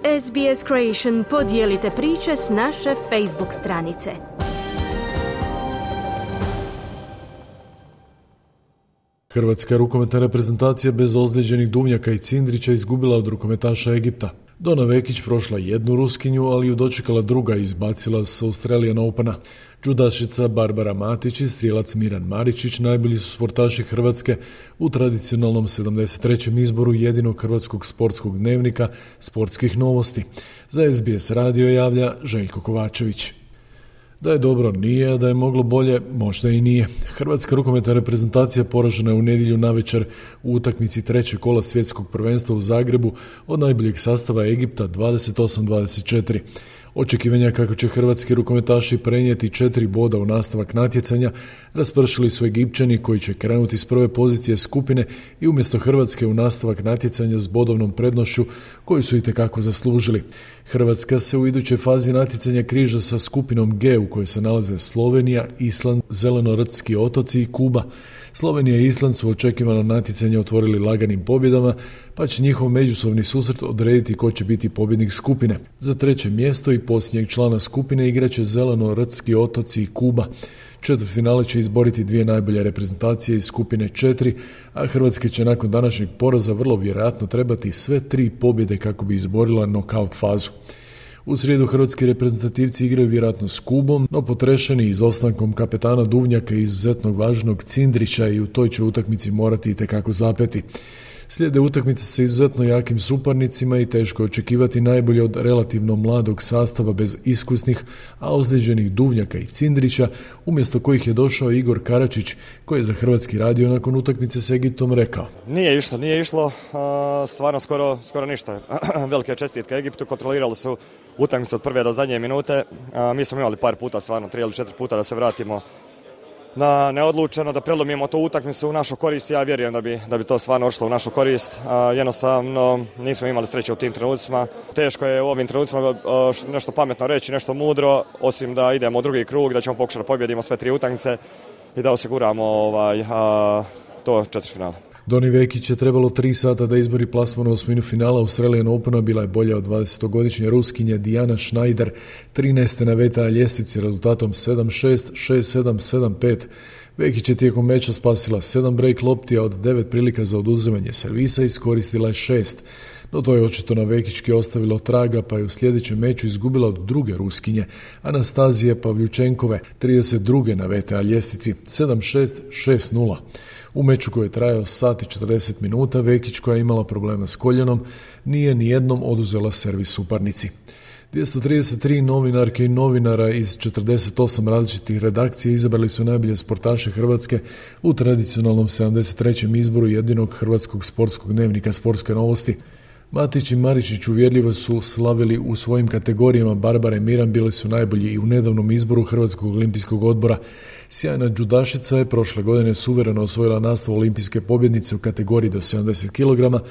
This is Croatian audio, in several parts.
SBS Creation podijelite priče s naše Facebook stranice. Hrvatska rukometna reprezentacija bez ozlijeđenih Duvnjaka i Cindrića izgubila od rukometaša Egipta. Dona Vekić prošla jednu Ruskinju, ali ju dočekala druga i izbacila s Australian Opena. Džudašica Barbara Matić i strijelac Miran Maričić najbolji su sportaši Hrvatske u tradicionalnom 73. izboru jedinog hrvatskog sportskog dnevnika Sportskih novosti. Za SBS radio javlja Željko Kovačević. Da je dobro nije, a da je moglo bolje možda i nije. Hrvatska rukometna reprezentacija poražena je u nedjelju navečer u utakmici trećeg kola svjetskog prvenstva u Zagrebu od najboljeg sastava Egipta 28-24. Očekivanja kako će hrvatski rukometaši prenijeti 4 boda u nastavak natjecanja raspršili su Egipćani koji će krenuti s prve pozicije skupine i umjesto Hrvatske u nastavak natjecanja s bodovnom prednošću koju su itekako zaslužili. Hrvatska se u idućoj fazi natjecanja križa sa skupinom G u kojoj se nalaze Slovenija, Island, Zelenorodski otoci i Kuba. Slovenija i Island su očekivano natjecanje otvorili laganim pobjedama, pa će njihov međusobni susret odrediti ko će biti pobjednik skupine. Za treće mjesto i posljednjeg člana skupine igraće Zelenorodski otoci i Kuba. Četvrtfinale će izboriti dvije najbolje reprezentacije iz skupine 4, a Hrvatska će nakon današnjeg poraza vrlo vjerojatno trebati sve 3 pobjede kako bi izborila nokaut fazu. U srijedu hrvatski reprezentativci igraju vjerojatno s Kubom, no potrešeni izostankom kapetana Duvnjaka i izuzetno važnog Cindrića i u toj će utakmici morati itekako zapeti. Slijede utakmice sa izuzetno jakim suparnicima i teško očekivati najbolje od relativno mladog sastava bez iskusnih, a ozlijeđenih Duvnjaka i Cindrića, umjesto kojih je došao Igor Karačić, koji je za Hrvatski radio nakon utakmice s Egiptom rekao: Nije išlo, stvarno skoro ništa. Velike čestitke Egiptu, kontrolirali su utakmicu od prve do zadnje minute. Mi smo imali par puta, stvarno 3 ili 4 puta da se vratimo na neodlučeno, da prelomimo tu utakmicu u našu korist. Ja vjerujem da bi to stvarno ošlo u našu korist. Jednostavno nismo imali sreće u tim trenucima. Teško je u ovim trenucima nešto pametno reći, nešto mudro, osim da idemo u drugi krug, da ćemo pokušati da pobjedimo sve 3 utakmice i da osiguramo to četvrtfinale. Doni Vekić je trebalo 3 sata da izbori plasman u osminu finala Australian Opena, bila je bolja od 20-godišnje Ruskinja Diana Schneider, 13. na VTA ljestvici rezultatom 7-6, 6-7, 7-5. Vekić je tijekom meča spasila 7 break lopti, a od 9 prilika za oduzimanje servisa iskoristila je 6. No to je očito na Vekićki ostavilo traga, pa je u sljedećem meču izgubila od druge Ruskinje, Anastazije Pavljučenkove, 32. na VTA ljestvici, 7-6, 6-0. U meču koji je trajao sat i 40 minuta, Vekić, koja je imala problema s koljenom, nije nijednom oduzela servis suparnici. 233 novinarke i novinara iz 48 različitih redakcija izabrali su najbolje sportaše Hrvatske u tradicionalnom 73. izboru jedinog hrvatskog sportskog dnevnika Sportske novosti. Matić i Maričić uvjerljivo su slavili u svojim kategorijama. Barbara i Miran bili su najbolji i u nedavnom izboru Hrvatskog olimpijskog odbora. Sjajna džudašica je prošle godine suvereno osvojila naslov olimpijske pobjednice u kategoriji do 70 kg,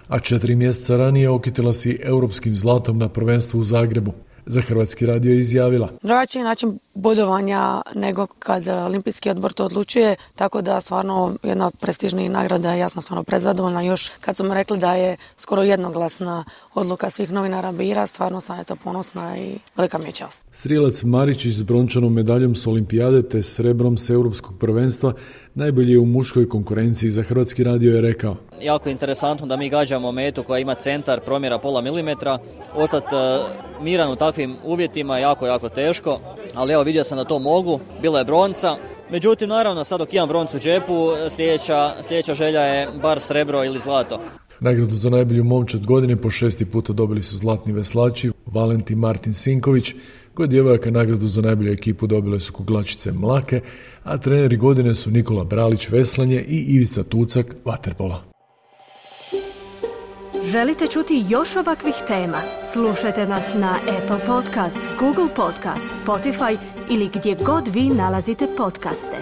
a 4 mjeseca ranije okitila se europskim zlatom na prvenstvu u Zagrebu. Za Hrvatski radio je izjavila: drugačiji način bodovanja nego kad olimpijski odbor to odlučuje, tako da stvarno jedna od prestižnijih nagrada, ja sam stvarno prezadovoljna. Još kad su mi rekli da je skoro jednoglasna odluka svih novinara bira, stvarno sam eto ponosna i velika mi je čast. Strijelac Maričić s brončanom medaljom s olimpijade te srebrom s europskog prvenstva najbolji je u muškoj konkurenciji. Za Hrvatski radio je rekao: jako interesantno da mi gađamo metu koja ima centar promjera pola milimetra. Ostati miran u takvim uvjetima je jako teško, ali evo vidio sam da to mogu. Bila je bronca. Međutim, naravno, sad dok imam broncu u džepu, sljedeća želja je bar srebro ili zlato. Nagradu za najbolju momčad godine po 6. puta dobili su zlatni veslači Valentin Martin Sinković. Kod djevojaka nagradu za najbolju ekipu dobile su kuglačice Mlake, a treneri godine su Nikola Bralić veslanje i Ivica Tucak vaterpola. Želite čuti još ovakvih tema? Slušajte nas na Apple Podcast, Google Podcast, Spotify ili gdje god vi nalazite podcaste.